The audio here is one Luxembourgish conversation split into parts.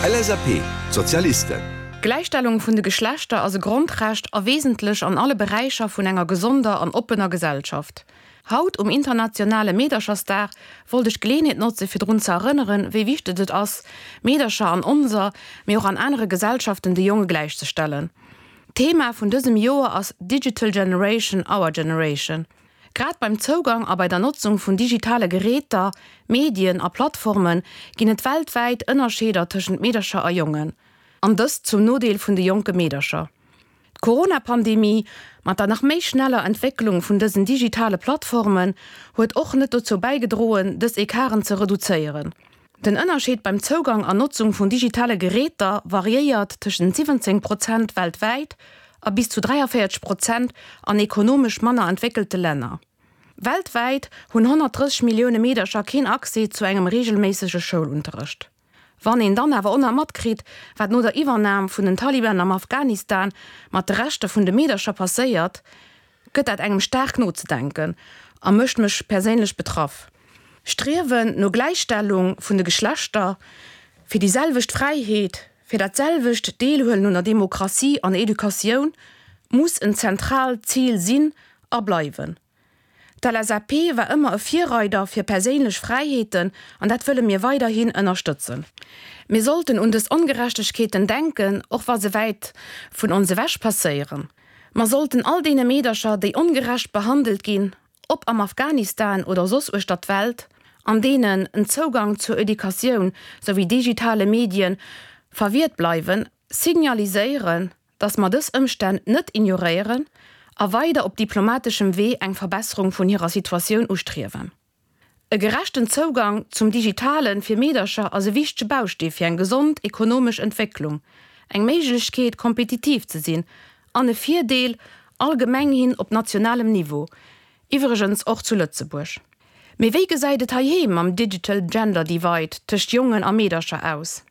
LSAP, Sozialisten. D'Gläichstellung vun de Geschlechter ass e Grondrecht a wesentlech an alle Beräicher vun enger gesonder an oppener Gesellschaft. Haut um internationale Meederchersdag wollt ech d'Geleeënheet notze fir drun ze erënneren, wéi wichteg et ass, Meedercher an onser, mee och an anere Gesellschaften de Jonge gläichzestellen. D'Thema vun dësem Joer ass Digital Generation, Our Generation. Grad beim Zougang a bei der Notzung vun digitale Geräter, Medien a Plattforme ginn et weltwäit Ënnerscheeder tëschent Meedercher a Jongen, an dëst zum Nodeel vun de jonke Meedercher. D'Corona-Pandemie, mat der nach méi schneller Entwécklung vun dësen digitale Plattformen, huet och net dozou bäigedroen, dës Ecarten ze reduzéieren. Den Ënnerscheed beim Zougang an Notzung vun digitale Geräter variéiert tëschent 17 Prozent weltwäit a bis zu 43 Prozent an ekonomesch manner entwéckelte Länner. Weltwäit hunn 130 Millioune Meedercher keen Accès zu engem reegelméissege Schoulunterrecht. Wann een dann awer och nach matkritt, wat no der Iwwernam vun den Taliban am Afghanistan mat de Rechter vun de Meedercher passéiert, gëtt dat engem staark nozedenken a mécht mech perséinlech betraff. Striewen no Gläichstellung vun de Geschlechter, fir déi selwecht Fräiheet, fir dat selwecht Deelhuelen un der Demokratie an Educatioun muss en zentraalt Zil sinn a bleiwen. D'LSAP war ëmmer e Virreider fir perséinlech Fräiheeten an dat wëlle mir weiderhin ënnerstëtzen. Mir sollten un dës Ongerechtegkeeten denken, och wa se wäit vun ons ewech passéieren. Mer sollten all deene Meedercher, déi ongerecht behandelt ginn, ob am Afghanistan oder soss uechter d'Welt, an deenen en Zougang zur Educatioun souwéi digitale Medien verwiert bleiwen, signaliséieren, dass mer dës Ëmstänn net ignoréieren a weider op diplomateschem Wee eng Verbesserung vun hirer Situatioun ustriewen. E gerechten Zougang zum Digitale fir Meedercher ass e wichtege Baustee fir eng gesond ekonomesch Entwécklung, eng Méiglechkeet kompetitiv ze sinn an e Virdeel allgemeng hin op nationalem Niveau, iwwregens och zu Lëtzebuerg. Mee wéi gesäit et heiheem mam Digital Gender Divide tëscht Jongen a Meedercher aus?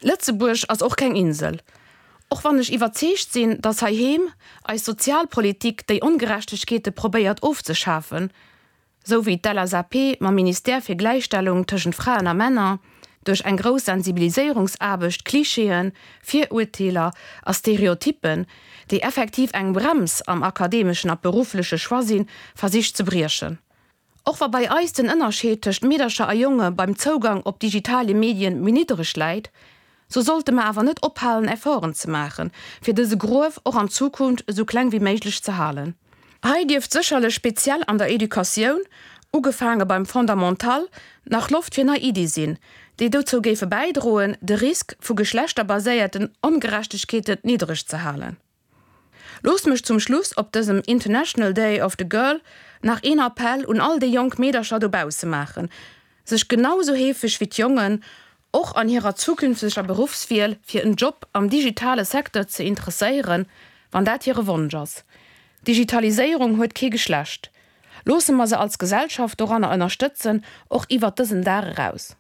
Lëtzebuerg ass och keng Insel. Och wann ech iwwerzeegt sinn, datt heiheem eis Sozialpolitik déi Ongerechtegkeete probéiert ofzeschafen, sou wéi d'LSAP mam Ministère fir Gläichstellung tëschent Fraen a Männer duerch eng grouss Sensibiliséierungsaarbecht Klischeeën, Virurteeler a Stereotyppen, déi effektiv eng Brems am akademeschen a beruffleche Choix sinn, versicht ze briechen. Och wa bei eis den Ënnerscheed tëscht Meedercher a Jonge beim Zougang op digitale Medien méi niddereg läit, sou sollte mer awer net ophalen Efforten ze maachen, fir dëse Gruef och an Zukunft esou kleng wéi méiglech ze halen. Hei dierft sécherlech speziell an der Educatioun, ugefaange beim Fondamental, nach Loft fir nei Iddie sinn, déi dozou géife bäidroen, de Risk vu geschlechterbaséierten Ongerechtegkeeten niddereg ze halen. Loosst mech zum Schluss op dësem International Day of the Girl nach een Appell un all déi jonk Meedercher dobausse maachen, sech genau sou heefeg wéi d'Jongen och an hirer zukünfteger Beruffswiel fir en Job am digitale Secteur ze interesséieren, wann dat hire Wonsch ass. Digitaliséierung huet kee Geschlecht. Loosse mer se als Gesellschaft doranner ënnerstëtzen, och iwwert dësen Dag eraus.